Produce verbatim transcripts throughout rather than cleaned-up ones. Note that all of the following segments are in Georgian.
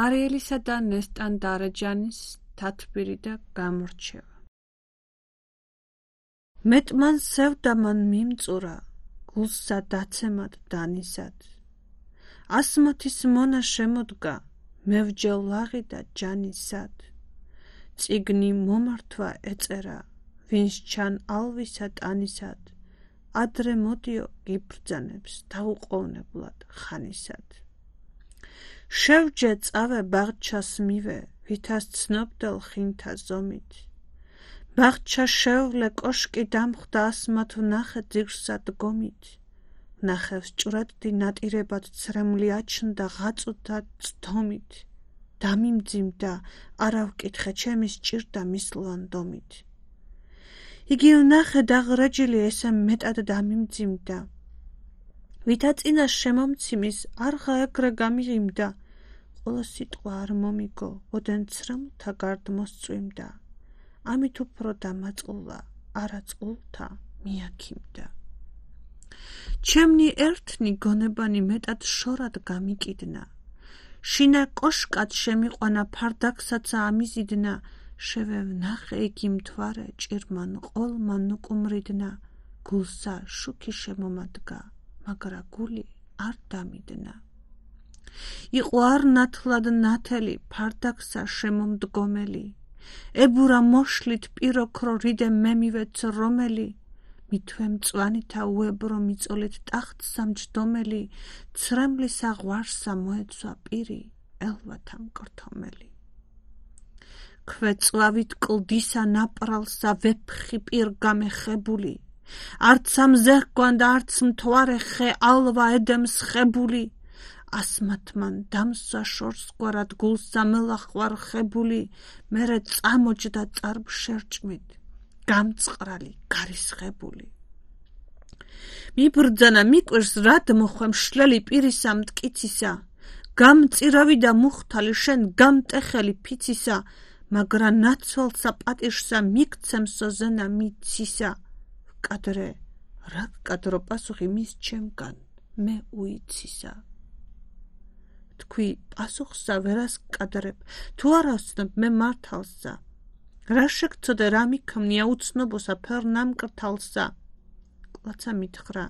არიელისა და ნესტან დარეჯანის თათბირი და გამორჩევა. მეტმან სევდამან მიმწურა, გულსა დაცემად დანისად. ასმოთის მონა შემოდგა, მევჯელ ლაღი და ჯანისად. წიგნი მომართვა ეწერა, ვინც ჩან ალვისა ტანისად. ადრე მოდიო გიბრძანებს დაუყოვნებლად ხანისად. შევჯე წავე ბაღჩას მივე, ვითას ცნობდელ ხინთა ზომით. ბაღჩა შევლე კოშკი დამხვდა ასმათ ვნახე ძირსა დგომით. ვნახევს ჭვრეტდი ნატირებად ცრემლი აჩნდა ღაწუთა წდომით. დამიმძიმდა, არა ვკითხე ჩემი სჭირდა მისლვანდომით. იგი ვნახე დაღრეჯილი ესე მეტად დამიმძიმდა. ვითა წინა შემომციმის არღა ეგრე გამიღიმდა. ყოლა სიტყვა არ მომიგო, ოდენ ცრემლთა გარდ მოსწვიმდა. ამით უფრო დამაწყულა, არა წყულთა მიაქიმდა. ჩემნი ერთნი გონებანი მეტად შორად გამიკიდნა. შინა კოშკად შემიყვანა ფარდაკსაც ამიზიდნა. შევე ვნახე იგი მთვარე ჭირმან ყოლმან უკუმრიდნა. გულსა შუქი შემომადგა, მაგრა გული არ დამიდნა. იყო არ ნათლად ნათელი ფარდაკსა შემომდგომელი. ებურა მოშლით პიროქრო რიდე მემივეც რომელი. მითვე მწვანითა უებრო მიწოლით ტახტსა მჯდომელი. ცრემლისა ღვარსა მოეცვა პირი, ელვათა მკრთომელი. ქვეწვავით კლდისა ნაპრალსა ვეფხი პირ გამეხებული. არც ამზეჰგვან და არც მთვარე ხე ალვა ედემს ხებული. ასმათმან დამსვა შორსგვარად გულსა მელახვარ ხებული. მერე წამოჯდა წარბშერჭმით, გამწყრალი გარისხებული. მიბრძანა მიკვირს რად მოხვე მშლელი პირისა მტკიცისა. გამწირავი და მუხთალი შენ გამტეხელი ფიცისა. მაგრა ნაცვალსა პატირსა მიქცემსო ზენა მიცისა. ვკადრე, რა ვკადრო პასუხი მის ჩემგან, მე უიცისა. თქვი პასუხსა ვერას ვკადრებ, თუ არა ვცნობ მე მართალსა. რა შეგცოდე რა მიქმნია უცნობოსა ფერ ნამკრთალსა. კლაცა მითხრა,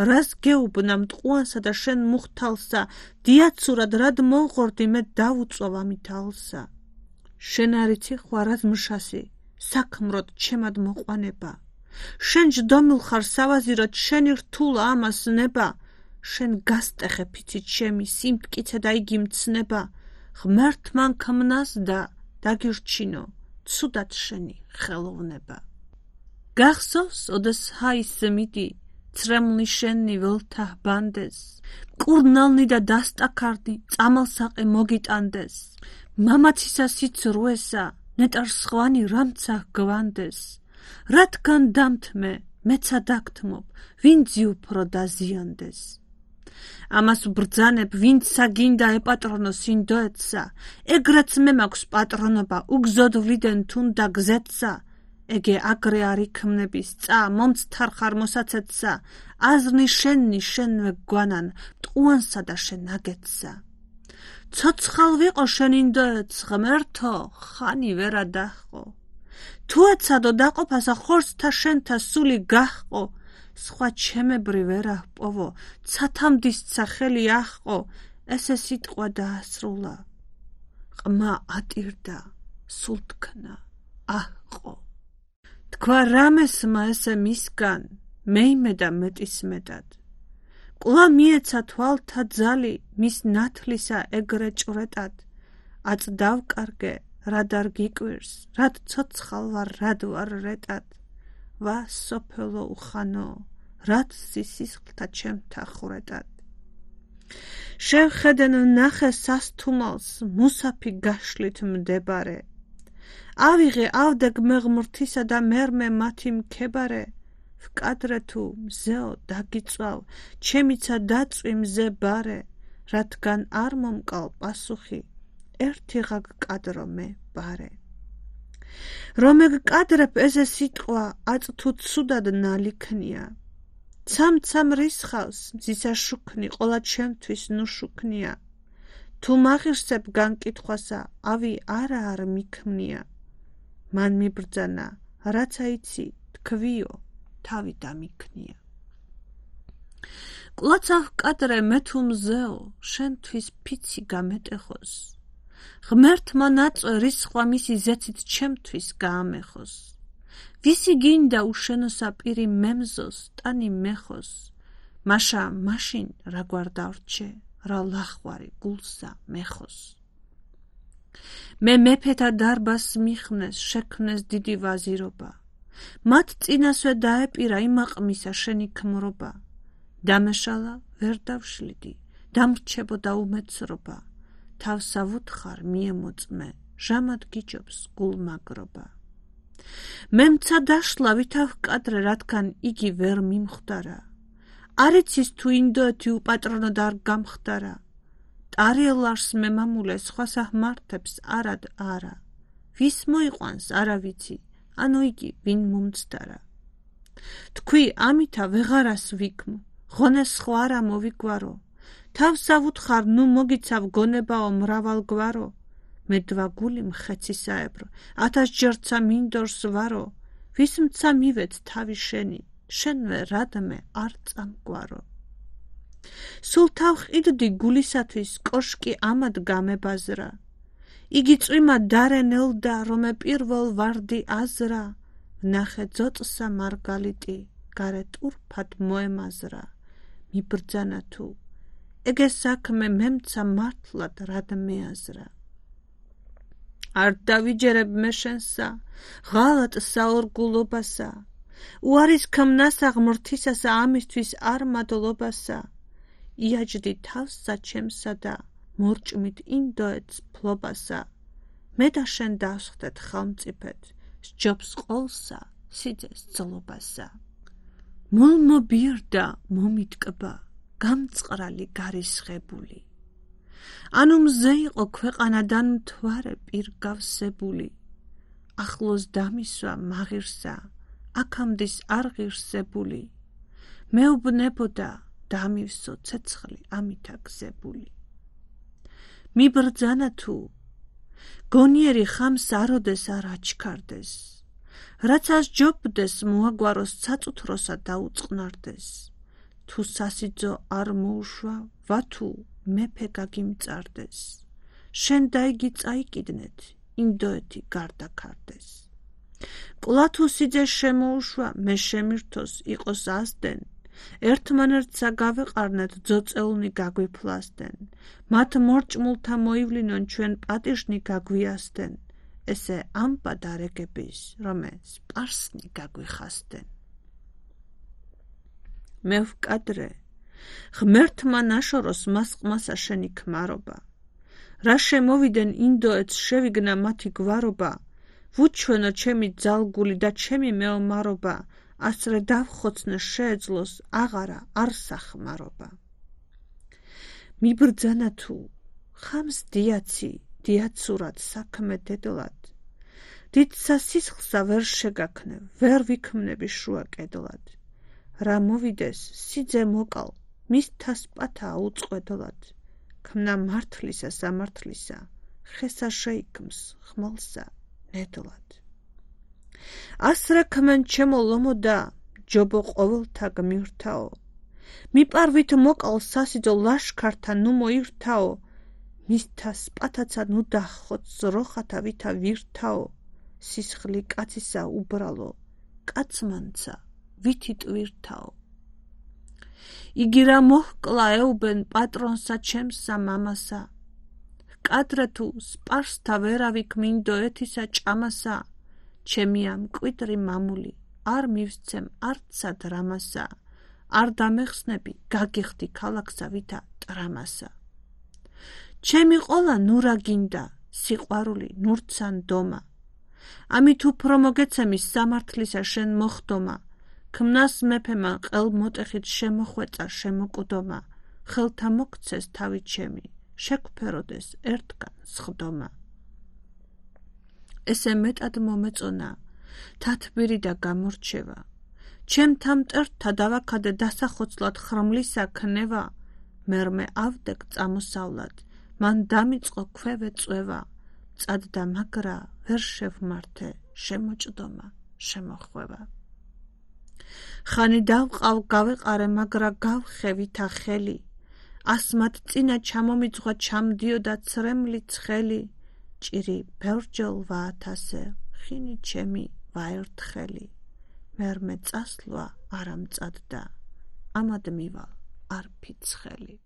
რას გეუბნა მტყუანსა და შენ მუხთალსა. დიაცურად რად მოვღორდი მე დავუწვავ ამით ალსა. შენ არიცი ხვარად მშასი, საქმროდ ჩემად მოყვანება. შენ ჯდომილ ხარ სავაზიროდ შენი რთულა ამას ნება. შენ გასტეხე ფიცით ჩემი სიმტკიცე და იგი მცნება. ღმერთმა ქმნას და დაგირჩინო, ცუდად შენი ხელოვნება. გახსოვს ოდეს ჰაისმიდი, ცრემლი შენი ველთა ბანდეს. მკურნალნი და დასტაქარნი წამალსაყე მოგიტანდეს. მამაცისა სიცრუესა, ნეტარ სხვანი რამცა გვანდეს. რადგან დამთმე, მეცა დაგთმობ, ვინცი უფრო დაზიანდეს. ამას ვბრძანებ, ვინცა გინდა ეპატრონოს ინდოეთსა. ეგრეც მე მაქვს პატრონობა, უგზოდ ვლიდენ თუნდა გზეთსა. ეგე აგრე არ იქმნების წა, მომცთარ ხარ მოსაცეთსა. აზრნი შენი შენვე გვანან, მტყუანსა და შენ აგეთსა. ცოცხალ ვიყო შენ ინდოეთს ღმერთო, ხანი ვერა დაჰყო. თუ ეცადო დაყოფასა ხორცთა შენთა სული გაჰყო. სხვა ჩემებრი ვერა ჰპოვო, ცათამდისცა ხელი აჰყო. ესე სიტყვა დაასრულა. ყმა ატირდა, სულთქნა აჰყო. თქვა რამესმა ესე მისგან, მეიმედა მეტის მეტად. კვლავ მიეცა თვალთა ძალი, მის ნათლისა ეგრე ჭვრეტად. აწ დავკარგე, რად არ გიკვირს, რად ცოცხალ ვარ, რად ვარ რეტად. ვა სოფელო უხანო, რად სისხლთა ჩემთა ხრეტად. შევხედენ ვნახე სასთუმალს, მუსაფი გაშლით მდებარე. ავიღე ავდე გმეღმრთისა და მერმე მათი მქებარე. ვკადრე თუ მზეო დაგიწვავ, ჩემიცა დაწვი მზე ბარე. რადგან არ მომკალ პასუხი, ერთი ღა გკადრო მე ბარე. რომ ეგკადრებ ესე სიტყვა, აწ თუ ცუდად ნალიქნია. ცამ-ცამ რისხავს, მზისა შუქნი, ყოლა ჩემთვის ნუ შუქნია. თუ მაღირსებ განკითხვასა, ავი არა არ მიქმნია. მან მიბრძანა, რაც აიცი, თქვიო, თავი დამიქნია. კლოცავ კადრე მე თუ მზეო, შენთვის ფიცი გამეტეხოს. ღმერთმა ნაწვე რის სხვა მისი ზეცით ჩემთვის გაამეხოს. ვისი გინდა უშენოსა პირი მემზოს, ტანი მეხოს. მაშა მაშინ რა გვარდავრჩე, რა ლახვარი გულსა მეხოს. მე მეფეთა დარბას მიხნეს, შექმნეს დიდი ვაზირობა. მათ წინასვე დაეპირა იმაყმისა შენი ქმრობა. დამეშალა ვერ დავშლიდი, დამრჩებოდა უმეცრობა. თავსა ვუთხარ მიემოწმე, ჟამად გიჯობს გულმაგრობა. მე მცა დაშლა ვითავ კადრე, რადგან იგი ვერ მიმხვდარა. არ იცის თუ ინდოეთი უპატრონოდ არ გამხდარა. ტარიელარს მე მამულე სხვას აჰმართებს არად არა. ვის მოიყვანს არა ვიცი, ანუ იგი ვინ მომცდარა. თქვი ამითა ვეღარას ვიქმ, ღონეს სხვა არა მოვიგვარო. თავსა ვუთხარ ნუ მოგიცავ გონებაო მრავალგვარო. მე დვა გული მხეცისაებრო, ათასჯერცა მინდორს ვარო. ვის მცა მივეც თავი შენი, შენვე რადმე არ წამგვარო. სულ თავყიდდი გულისათვის, კოშკი ამად გამებაზრა. იგი წვიმა დარენელდა, რომე პირველ ვარდი აზრა. ვნახე ძოწსა მარგალიტი, გარე ტურფად მოემაზრა. მიბრძანა თუ, ეგე საქმე მემცა მართლად რად მეაზრა. არ დავიჯერებ მე შენსა, ღალატ საორგულობასა. უარის ქმნასა ღმრთისასა, ამისთვის არ მადლობასა. იაჯდი თავსა ჩემსა და მორჭმით ინდოეთს ფლობასა. მე და შენ დავსხდეთ ხელმწიფედ, სჯობს ყოლსა სიძეს ძლობასა. მულ მობიერდა მომიტკბა, გამწყრალი გარისხებული. ანუ მზე იყო ქვეყანადან მთვარე პირგავსებული. ახლოს დამისვა მაღირსა, აქამდის არ ღირსებული. მეუბნებოდა დამივსო ცეცხლი ამითა გზებული. მიბრძანა თუ, გონიერი ხამს აროდეს არ აჩქარდეს. რაც ასჯობდეს მოაგვაროს საწუთროსა დაუწყნარდეს. თუ სასიძო არ მოუშვა, ვათუ მეფე გაგიმწარდეს. შენ და იგი წაიკიდნეთ, ინდოეთი გარდაქარდეს. კლა თუ სიძე შემოუშვა, მე შემირთოს იყოს ასდენ. ერთმანერთსა გავეყარნეთ, ძოწეულნი გაგვიფლასდენ. მათ მორჭმულთა მოივლინონ, ჩვენ პატიჟნი გაგვიასდენ. ესე ამპა დარეგების, რომე სპარსნი გაგვიხასდენ. მე ვკადრე, ღმერთმა ნაშოროს მასყმასა შენი ქმარობა. რა შემოვიდნენ ინდოეთს შევიგნა მათი გვარობა. ვუჩვენო ჩემი ძალგული და ჩემი მეომარობა. ასრე დავხოცნე შეეძლოს აღარა არ სახმარობა. მიბრძანა თუ, ხამს დიაცი, დიაცურად საქმე დედლად. დიდსა სისხლსა ვერ შეგაქნე, ვერ ვიქმნები შუა კედლად. რა მოვიდეს, სიძე მოკალ, მის თასპათა აუწყვედლად. ქმნა მართლისა სამართლისა, ხესა შეიქმს ხმალსა ნედლად. ასრე ქმენ ჩემო ლომოდა, ჯობო ყოველთა გმირთაო. მიპარვით მოკალ სასიძო ლაშქართა ნუ მოირთაო. მის თასპათაცა ნუ დახოც ზროხათა ვითა ვირთაო. სისხლი კაცისა უბრალო, კაცმანცა ვითი ტვირთაო. იგი რა მოჰკლა ეუბენ პატრონსა ჩემსა მამასა. კადრე თუ სპარსთა ვერავი ქმინდოეთისა ჭამასა. ჩემი ამ კვიტრი მამული, არ მივსცემ არცსა დრამასა. არ დამეხსნები, გაგიხდი ქალაქსა ვითა ტრამასა. ჩემი ყოლა ნურა გინდა, სიყვარული ნურცან დომა. ამით უფრო მოგეცემი სამართლისა შენ მოხდომა. ქმნას მეფემა ყელ მოტეხით შემოხვეწა შემოკუდომა. ხელთა მოგცეს თავი ჩემი, შეგვფეროდეს ერთგან სხდომა. ესე მეტად მომეწონა, თათბირი და გამორჩევა. ჩემთა მტერთა დავაქადე დასახოცლად ხრმლისა ქნევა. მერმე ავდეკ წამოსავლად, მან დამიწყო ქვევე წვევა, წადდა მაგრა ვერ შევმართე, შემოჭდომა, შემოხვევა. ხანი დავყავ გავეყარე, მაგრა გავხევითა ხელი, ასმად წინა ჩამომიძღვა ჩამდიოდა ცრემლი ცხელი, ჭირი ბევრჯერ ვაათასე, ხინი ჩემი ვაერთხელი, მერმე წასვლა არ ამწადდა, ამად მივალ არ ფიცხელი.